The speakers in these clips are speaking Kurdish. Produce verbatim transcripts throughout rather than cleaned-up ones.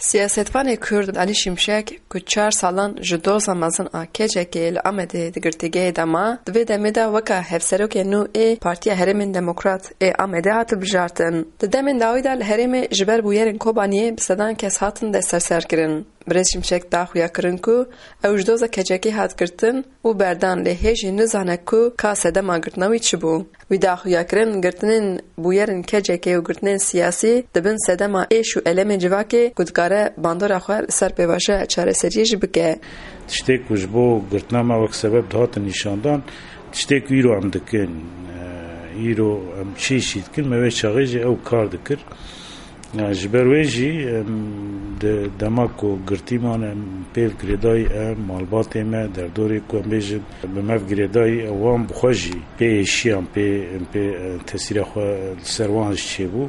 Siyasetvanê Kurd Elî Şimşek, ku çar salan ji doza mezin a K C K'ê li Amedê di girtîgehê de ma, di vê demê de weka hevserokê nû ê Partiya Herêmên Demokrat ê Amedê hat bijartin. Di demên dawî de li herêmê ji ber bûyerên Kobaniyê bi sedan kes hatin desteserkirin. Birêz Şimşek da xuyakirin ku ew ji doza K C K'ê hat girtin û berdan, lê hê jî nizane ku ka sedema girtina wî çi bû. Wî da xuyakirin, girtinên bûyerên K C K'ê û girtinên siyasî dibin sedema êş û elemê civakê ku dikare bandora xwe li ser pêvajoya çareseriyê jî bike. Tiştê ku ji bo girtina me wek sebeb dihatin nîşandan, tiştê ku îro em dikin, e, îro em çi îşî dikin, me wê çaxê jî ew kar dikir. Yani ji ber wê jî, em, di dema ku girtî man, em pê girêdayî em, malbatê me, derdorê ku em bêjin, bi me girêdayî, wan bi xwe jî pê êşiyan, pê, em pê, e, tesîra xwe li ser wan jî çêbû.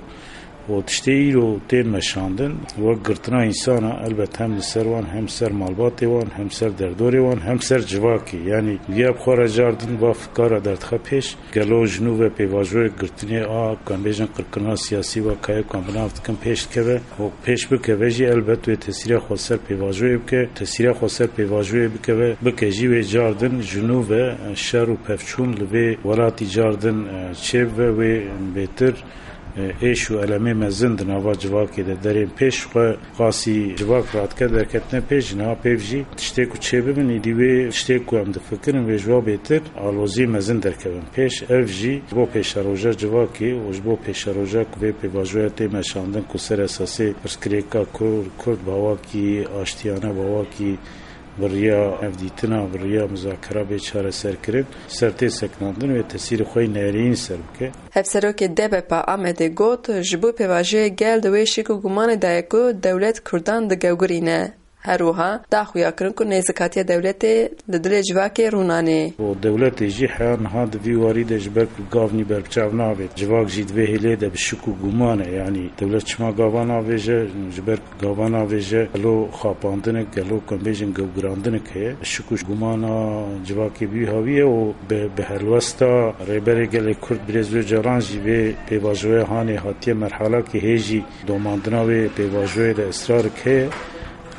Û tiştê îro tên meşandin, wek girtina însana, elbet hem li ser wan, hem ser malbatê wan, hem ser derdorê wan, hem ser civakê. Yani, viya bi xwe re cardin, va fikara derdixe pêş. Gelo ji nû ve pêvajoyek girtinê a, ku em bêjin qirkirina siyasî ve kayê ku em bi nav dikin pêş dikeve û pêş bikeve jî elbet wê tesîra xwe ser pêvajoyê bike, tesîra xwe ser pêvajoyê bikeve, bike jî wê cardin ji nû ve şer û pevçûn li vê welatî cardin, e, çêbibe, wê bêtir, e, êş û elemê mezin di nava civakê de derên pêş xwe Qasî civak radike derketine pêş, niha pêv jî tiştê ku çêbibin, îdî wê tiştê ku em difikirin wê ji wa bêtir alozî mezin derkevin pêş. Ev jî ji bo pêşeroja civakê û ji bo pêşeroja ku vê pêvajoya tê meşandin ku ser esasê pirsgirêka Kur-, Kurd bi awakî aştiyane, bi awakî bi riya hevdîtina, bi riya muzakera bê çareserkirin, ser tê sekinandin wê tesîrê xwe yî nerîn ser bike. Hevserokê D B P Amedê got, ji bo pêvajoyê gel di wê şik û gumanê de ye ku dewlet Kurdan digewgirîne. Her wiha da xuyakirin ku nêzikatiya dewletê li dilê civakê rûnanê. Û dewletê jî heya niha di vî warî de ji ber ku gavnî berbiçav nabêt, civak jî di vê hêlê de bi şik û guman e. Yanî dewlet çima gava navêje? Ji ber Gava navêje, gelo xapandinek, gelo ku em bêjin gewgirandinek heye. Şik û gumana civakê bi wî hawî ye û bi, bi helwesta Rêberê Gelê Kurd Birêz Ocalan jî vê pêvajoya hanê hatiye merhalakê hê jî domandina wê pêvajoyê de israrek heye.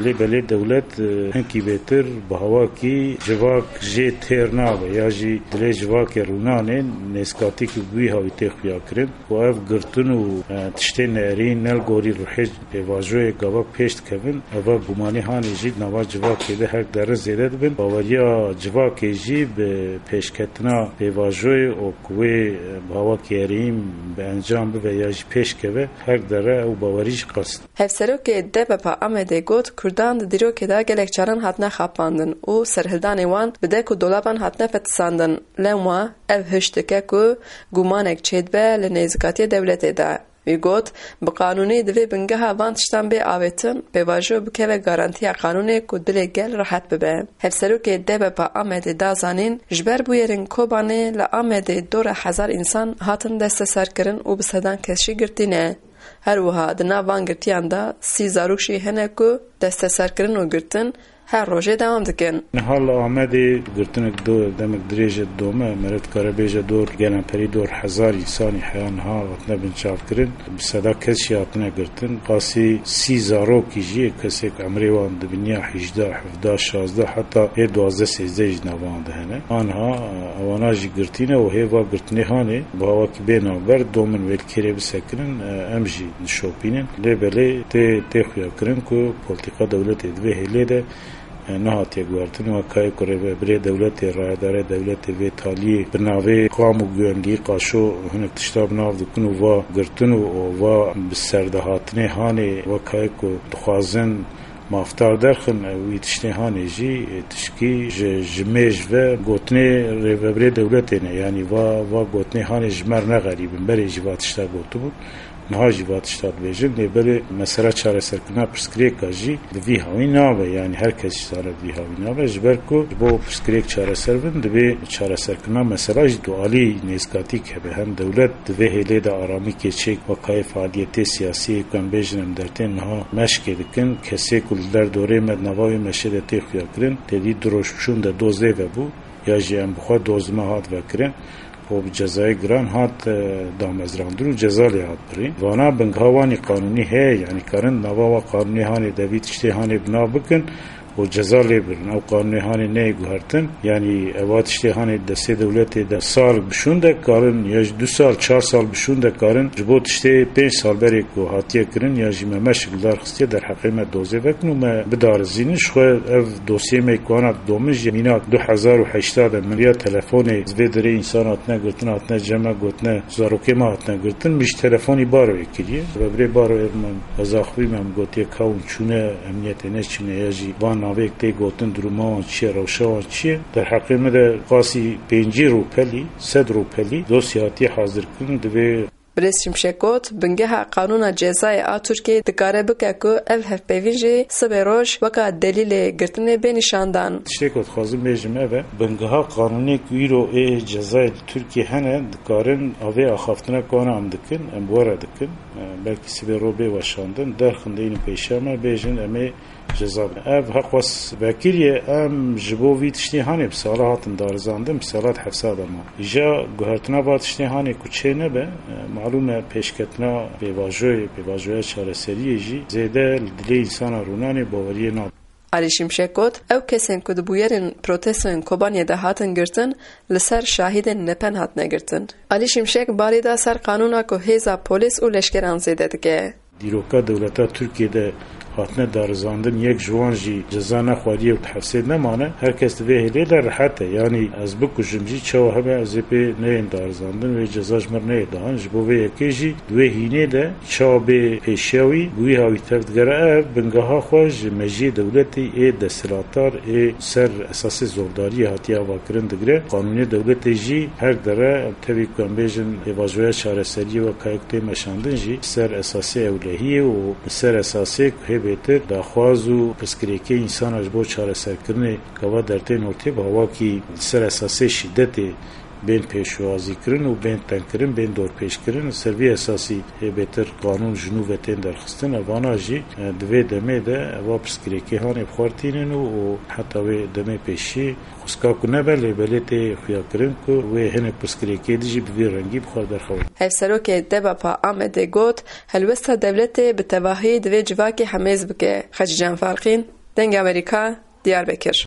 Lê belê dewlet, e, hinkî bêtir bi hawakî civak jê têr nabe ya jî dilê civakê rûnanê nêzikatîkî bi wî hawî tê xuyakirin. Û ev girtin û, e, tiştê nerîn ne li gorî ruhê pêvajoyê gava pêş dikevin, eva gumanî hanê jî di nava civakê de her dere zêde dibin. Baweriya civakê jî bi pêşketina pêvajoyê û ku wê, e, bi awakî herîm bi encam bibe ya jî pêş keve, her dere ew bawerî jî qas. Hevserokê D B P Amedê got, Kurdan di dîrokê de gelek caran hatine xapandin û serhildanê wan bi dek û dolaban hatine fetisandin. Lewma ev hişt dike ku gumanek çêdibe li nêzikatiyê dewletê de. Wî got, bi qanûnê divê bingeha van tiştan bê avêtin, pêvajo bikeve garantiya qanûnê ku dilê gel rehet bibe. Hevserokê D B P Amedê da zanîn, ji ber bûyerên Kobanê li Amedê dora hezar însan hatin desteserkirin û bi sedan kes jî girtî ne. Her wiha di nav van girtiyan de sî zarok jî hene ku desteserkirin û girtin her rojê dewam dikin. Niha li Amedê girtinek do-, demek dirêj e didome, mere dikare bêje dor, gelemperî dor hezar însanî heya niha hatine binçavkirin, bi seda kes jî hatine girtin. Qasî sî zarokî jî, kesek emrê wan dibiniya hîjdeh, hevdeh, şazdeh, heta ê duwazdeh sêzdeh jî di nav wan de hene. Aniha, e, ewana jî girtî ne û hê va girtinê hanê bi awakî bê navber, domin wê li kêrê bisekirin, e, em jî dişopînin. Lê belê tê, tê xuyakirin ku polîtîka dewletê di vê hêlê de, e, nehatiye guhertin. Wekayê ku rêvebirê dewletê, rayedarê dewletê vê taliyê bi navê Qam û Guwendî Qaşo hinek tişta bi nav dikin û va girtin û, û va bi serdehatinê hanê wekayê ku dixwazin mafdar derxin, ew wî tiştê hanê jî, e, tişkî ji, ji mêj ve gotinê rêvebirê dewletê ne. Yanî va, va gotinê hanê ji me re ne xerîb in. Berê jî va tişta gotibûn. Niha jî va tişta dibêjin. Lê belê mesela çareserkirina pirsgirêka jî bi vî hawî nabe. Yanî her kes jî zane bi vî hawî nabe. Ji ber ku ji bo pirsgirêk çareser bin, divê çareserkirina mesela jî dualî nêzikatîk hebe. Hem dewlet di vê hêlê de aramîkê çêk wekayê faaliyetê siyasiyê ku em bêjin em dertên niha meşkê dikin. Kesê ku li derdorê me di nava wê meşê de tê xuyakirin, tevî du roj çûn de dozê vebû, ya jî em bi xwe doz me hat vekirin. û bi cezayê giran hat, e, damezrandin û ceza lê hat birîn. Vana bingeha wanî qanûnî heye, yanî karin nava wa qanûnî hanê de vî tiştê hanê bina bikin û ceza lê birin. Ew qanûnê hanê neyê guhertin, yanî eva tiştê hanê destê dewletê de sal bi şûn de karin, ya jî du sal, çar sal bi şûn de karin, ji bo tiştê pênc sal berê ku hatiye kirin, ya jî me meşik li dar xistiye derheqê me dozê vekin û me bidarizînin. Ji xwe ev dosyê me ku ana domin jî mînak du hezar û heşta de min ya telefonê, vê derê însan hatine girtin, hatine cem me gotine, zarokê me hatine girtin, min ji telefonî Baroyê kiriye. Ve birê Baroyê min, ez axivî me, min gotiye ka hûn çûne emniyetê neçûne ya jî van navê tê gotin, duruma wan çi ye, rewşa wan çi ye. Derheqê me de qasî pêncî rûpelî, sed rûpelî dosya hatiye hazir kirin, divê Birêz Şimşek got, bingeha qanûna cezayê a Tirkiyeyê dikare bike ku ev hevpeyvîn jî sibê roj weka delîlê girtinê bê nîşandan. Tiştê ku dixwazim bêjim ev e, bingeha qanûnê ku îro ê cezayê li Tirkiyê hene, dikarin avê axaftina ku ana em dikin, em bi we re dikin. E, belkî sibê ro bê weşandin, derxin de înî pêşiya me bêjin em ê ceza bidin. Ev heqwes vekiriye, em ji bo vî tiştê hanê bi sala hatin darizandin, bi sala di hevsa de ma. Îja guhertina va tiştê hanê ku çê nebe, e, malûm e pêşketina pêvajoyê, pêvajoya çareseriyê jî zêde li dilê însana rûnanê baweriyê nabe. Alî Şimşek got, ew kesên ku di bûyerên protestoyên Kobaniyê de hatin girtin, li ser şahidên nepen hatine girtin. Alî Şimşek barê da ser qanûna ku hêza polîs û leşkeran zêde dike. Dîroka dewleta Tirkiyê de hatine darizandin, yek ji wan jî ceza nexwariye û di hevsê nemane. Her kes di vê hêlê de rehet e. Yanî ez bikujim jî çawa hebe ez ê pê neyên darizandin, wê ceza ji mir neyê dan. Ji bo vê yekê jî di wê hînê de çawa bê pêşiya wî, bi wî hawî tev digere. Ev bingeha xwe ji mejiyê dewletê ê desthilatdar ê ser esasê zordariyê hatiye avakirin digire. Qanûnê dewletê jî her dere, tevî ku em bêjin pêvajoya çareseriyê weka yek tê meşandin jî ser esasê ewlehiyê û li ser esasê ku hê bêtir daxwaz û pirsgirêkê însana ji bo çareserkirinê gava dertên ortê bi hawakî li ser esasê şîdetê bên pêşwazîkirin û bên tengkirin, bên dorpêçkirin. Li ser vî esasî hê bêtir qanûn ji nû ve tên derxistin. Evana jî, e, di vê demê de eva pirsgirêkê hanê bi xwe re tînin û, û heta wê demê pêşî xwezka ku nebe lê belê tê xuyakirin ku wê hinek pirsgirêkê dijî bi vî rengî bi xwe derxewin. Hevserokê DEBAP'a Amedê got, helwesta dewletê bi tevahî divê civakê hemêz bike. Xecîcan Farqîn, Dengê Amerîka, Diyarbekir.